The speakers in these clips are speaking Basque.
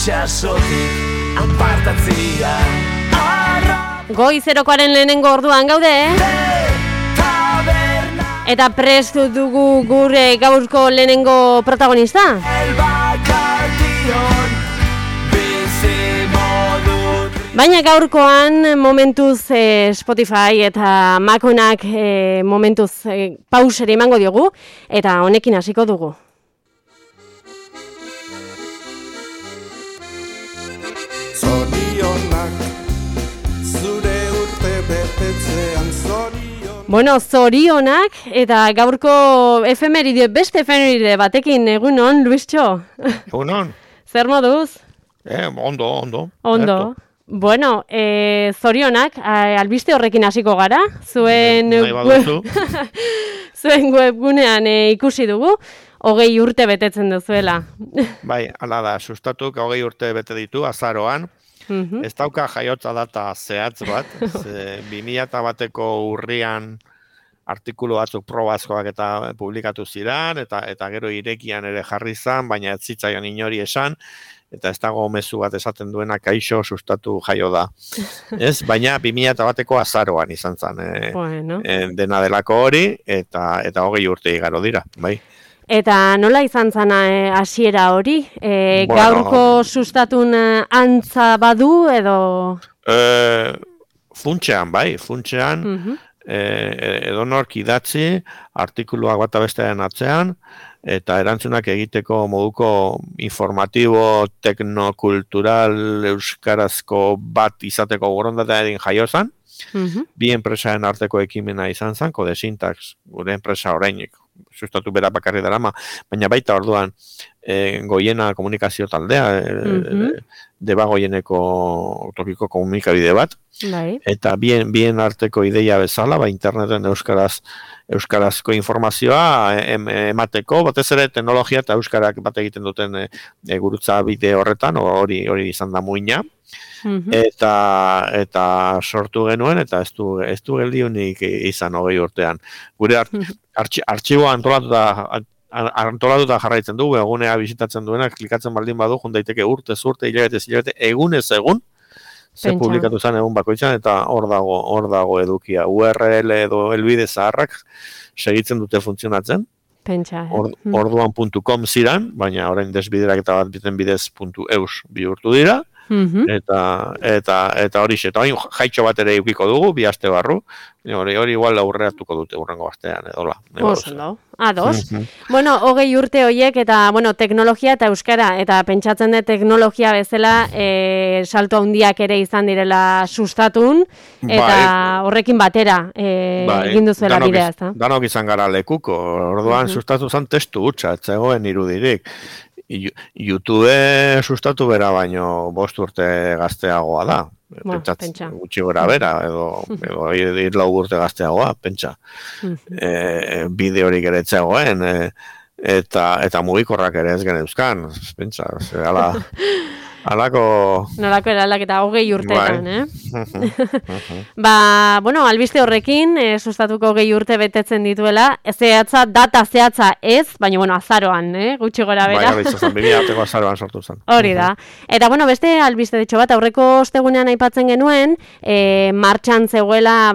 itxasotik apartatzia. Goi zerokoaren lehenengo orduan gaude, eta prest dugu gure gaurko lehenengo protagonista. Baina gaurkoan momentuz Spotify eta Maconak momentuz pausere emango diogu, eta honekin hasiko dugu. Bueno, zorionak, eta gaurko efemeride, beste efemeride batekin, egunon, Luistxo? Egunon. Zer moduz? Ondo. Ondo. Bueno, zorionak, albiste horrekin hasiko gara, zuen webgunean ikusi dugu, 20 urte betetzen duzuela. Bai, hala da, sustatuk 20 urte bete ditu, azaroan. Ez dauka jaiotza data zehatz bat, 2001ko urrian artikulu batzuk probazkoak eta publikatu ziren, eta gero irekian ere jarri zan, baina ez zitzaion inori esan, eta ez dago mezu bat esaten duena kaixo sustatu jaio da. Ez, baina 2001ko azaroan izan zen, dena delako hori, eta 20 urte igaro dira, bai. Eta nola izan zana hasiera hori? Gaurko sustatun antza badu edo? Funtsean, edonork idatzi, artikuluak bata bestearen atzean, eta erantzunak egiteko moduko informatibo, teknokultural, euskarazko bat izateko borondatearen jaio zen. Bi enpresaren arteko ekimena izan zen, Kode Syntax, gure enpresa orainik, sustatu bera bakarri darama, baina baita orduan Goiena komunikazio taldea, Debagoieneko tokiko komunikabide bat, eta bien arteko ideia bezala, interneten euskarazko informazioa emateko, batez ere teknologia eta euskarak bat egiten duten gurutza bide horretan, hori izan da muina, eta sortu genuen, eta ez du geldiunik izan 20 urtean. Gure artxiboa antolatuta jarraitzen dugu, egunea bisitatzen duena, klikatzen baldin badu, jundaiteke urte, hilabete, egunez egun, ze publikatu zen egun bakoitzan, eta hor dago edukia. URL edo helbide zaharrak segitzen dute funtzionatzen. Pentsa. Orduan.com ziran, baina orain desbiderak eta bat biten bidez.eus bihurtu dira, eta horixe, eta hain jaitxo bat ere eukiko dugu, 2 aste barru, hori igual aurreatuko dute urrengo astean, edola. Ados. Bueno, 20 urte horiek, eta teknologia eta euskara, eta pentsatzen dut teknologia bezala salto handiak ere izan direla sustatun, eta horrekin batera egin duzuela bidea, ezta? Danok izan gara lekuko, orduan sustatu zen testu hutsa, ez zegoen irudirik. YouTube sustatu bera baino 5 urte gazteagoa da. Pentsa. Gutxi gora bera, edo 4 urte gazteagoa, pentsa. Bideorik ere etzegoen, eta mugikorrak ere ez geneuzkan, pentsa. Nolako eraldak eta 20 urteetan, albiste horrekin, sustatuko 20 urte betetzen dituela, data zehatza ez, baina, azaroan, gutxi gora bera. Bai, izan, 2000 azaroan sortu zen. Hori da. Eta, beste albiste detxo bat, aurreko ostegunean aipatzen genuen, martxan zegoela,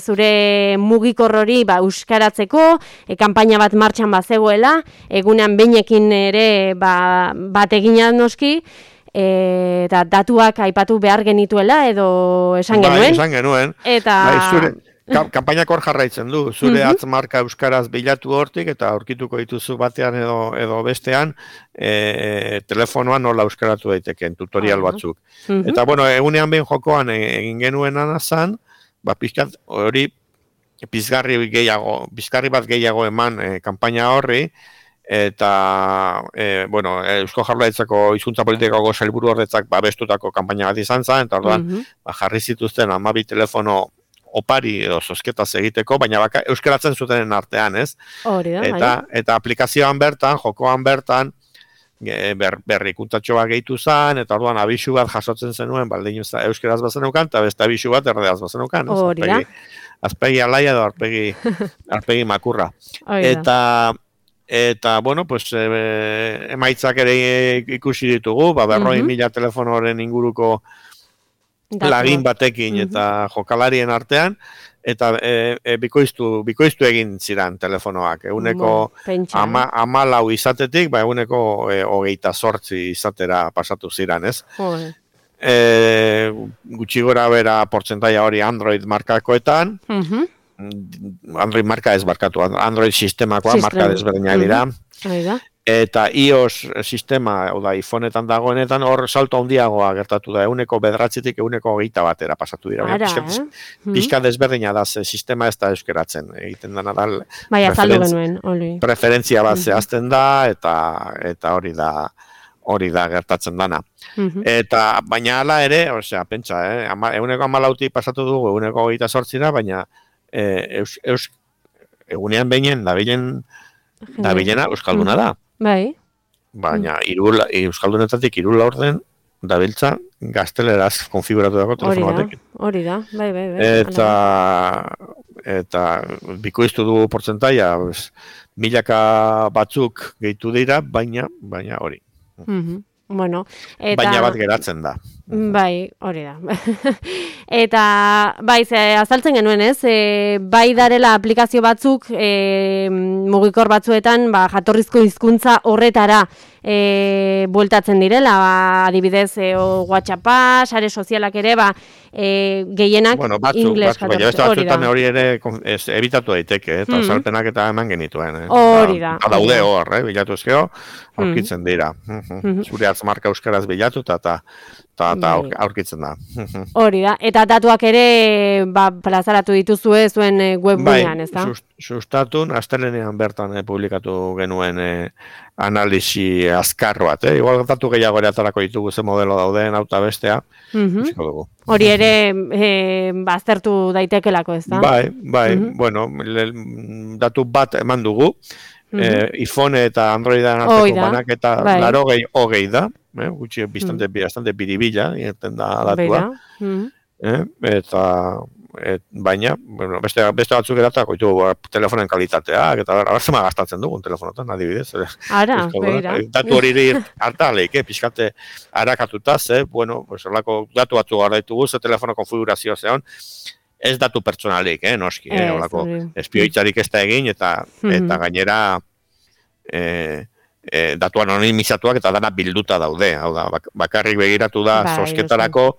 zure mugikor hori, euskaratzeko, kanpaina bat martxan zegoela, egunean beinekin ere, bat eginan noski, eta datuak aipatu behar genituela, edo esan genuen. Bai, esan genuen. Eta... Kampainak hor jarraitzen du, zure atzmarka euskaraz bilatu hortik, eta aurkituko dituzu batean edo bestean, telefonoan nola euskaratu daiteken, tutorial batzuk. Eta, egunean behin jokoan egin genuen anazan, pizkat hori pizgarri bat gehiago eman kanpaina horri, eta, Eusko Jaurlaritzako hizkuntza politikako sailburu horretzak bestutako kanpaina bat izan zen, eta orduan jarri zituzten 12 telefono opari edo zozketaz egiteko, baina euskaratzen zutenen artean, ez? Hori da, eta aplikazioan bertan, jokoan bertan, berrikuntatxo bat gehitu zen, eta orduan abisu bat jasotzen zenuen, baldin euskaraz bazenukan, eta beste abisu bat erdeaz bazenukan. Hori da. Azpegi alaia edo arpegi makurra. Eta eta, bueno, pues, emaitzak ere ikusi ditugu, 40.000 telefonoren inguruko lagin batekin eta jokalarien artean, eta bikoiztu egin ziran telefonoak. Eguneko 14 izatetik, eguneko 28 izatera pasatu ziran, ez? Gutxi gora bera portzentaia hori Android markakoetan, Android marka ez barkatu, Android sistemakoa marka desberdinak dira, eta iOS sistema, oda iPhoneetan dagoenetan, hor salto handiagoa gertatu da, eguneko 9-tik eguneko 21 pasatu dira. Pixka desberdina da, sistema ez da euskeratzen, egiten dena da, preferentzia bat zehazten da, eta hori da gertatzen dana. Eta, baina hala ere, osea, pentsa, eguneko 14 pasatu dugu, eguneko 28, baina egunean behinen, dabilena euskalduna da. Bai. Baina, euskaldunetatik 3 laurden dabiltza gazteleraz konfiguratu dago telefono batekin. Hori da, bai. Eta bikoiztu dugu portzentaia, milaka batzuk gehitu dira, baina hori. Bueno, baina bat geratzen da. Bai, hori da. Eta, bai, azaltzen genuen, ez? Bai darela aplikazio batzuk, mugikor batzuetan, jatorrizko hizkuntza horretara bueltatzen direla, adibidez, WhatsAppa, sare sozialak ere, gehienak ingles jatorrizko. Baina beste batzuetan hori ere ebitatu daiteke, eta salpenak eta eman genituen. Hori da. Daude hor, bilatu ezkeo, aurkitzen dira. Zure marka euskaraz bilatu eta aurkitzen da. Hori da, eta datuak ere plazaratu dituzue zuen webgunean, ez da? Sustatun, astelenean bertan publikatu genuen analisi azkar bat, igual datu gehiago ere atarako ditugu ze modelo dauden, auta bestea, hori ere aztertu daitekelako, ez da? Bai, bueno, datu bat eman dugu, iPhone eta Androidan arteko banak eta 80 da, gutxi bastante biribila, irten da datua, eta baina, beste batzuk eratako ditugu telefonen kalitateak, eta abertzema gastatzen dugun telefonotan, adibidez. Datu hori hartaleik, pixkate harakatuta, datu batzu gara ditugu, ze telefono konfigurazioa zeon, ez datu pertsonalik, noski, espioitzarik ez da egin, eta gainera datu anonimizatuak eta dana bilduta daude. Hau da, bakarrik begiratu da zozketarako,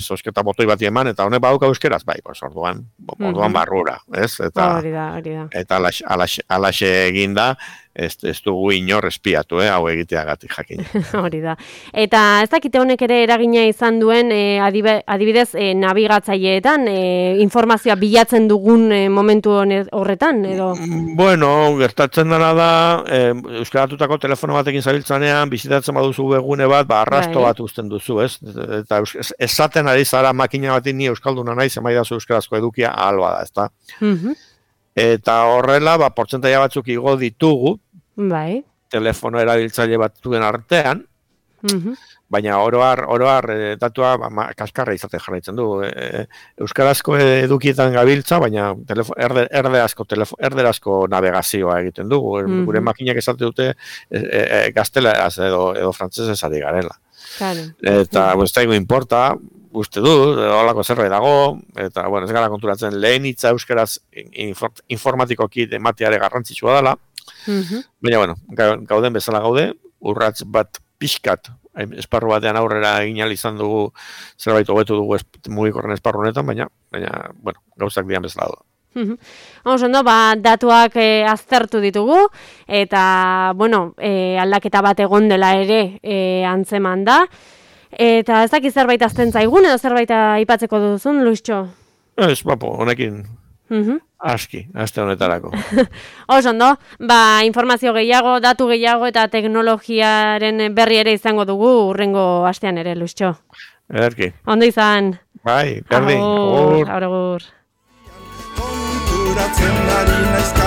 zozketa botoi bat eman, eta honek badauka euskeraz, orduan barrura, ez? Eta alaxe egin da, ez dugu inor espiatu, hau egiteagatik jakin. Hori da. Eta ez dakite honek ere eragina izan duen, adibidez, nabigatzaileetan, informazioa bilatzen dugun momentu horretan, edo? Bueno, gertatzen dena da, euskaratutako telefono batekin zabiltzanean, bizitatzen baduzu webgune bat, arrasto bat uzten duzu, ez? Eta esaten ari zara makina batin ni euskalduna nahi, zemaidazu euskarazko edukia ahalba da, ez da? Eta horrela, portzentaia batzuk igo ditugu, telefono erabiltzaile batzuen artean, baina oroar datua kaskarra izate jarraitzen du. Euskarazko edukietan gabiltza, baina erderazko navegazioa egiten dugu. Gure makinak esate dute gazteleraz edo frantsesez ari garela. Eta ez daigu importa, uste du, holako zerbait dago, eta ez gara konturatzen lehen hitza euskaraz informatikoki emateare garrantzitsua dela, baina, gauden bezala gaude, urratz bat pixkat, esparru batean aurrera egin izan dugu, zerbait hobetu dugu mugikorren esparru honetan, baina, gauzak dian bezala du. Ondo, datuak aztertu ditugu, eta, aldaketa bat egon dela ere antzeman da, eta ez dakit zerbait azten zaigun, edo zerbait aipatzeko duzun, Luistxo? Ez, honekin aski, aste honetarako. Ondo, informazio gehiago, datu gehiago eta teknologiaren berri ere izango dugu urrengo astean ere, Luistxo. Ederki. Ondo izan. Bai, berdin. Agur. Konturatzen ari naiz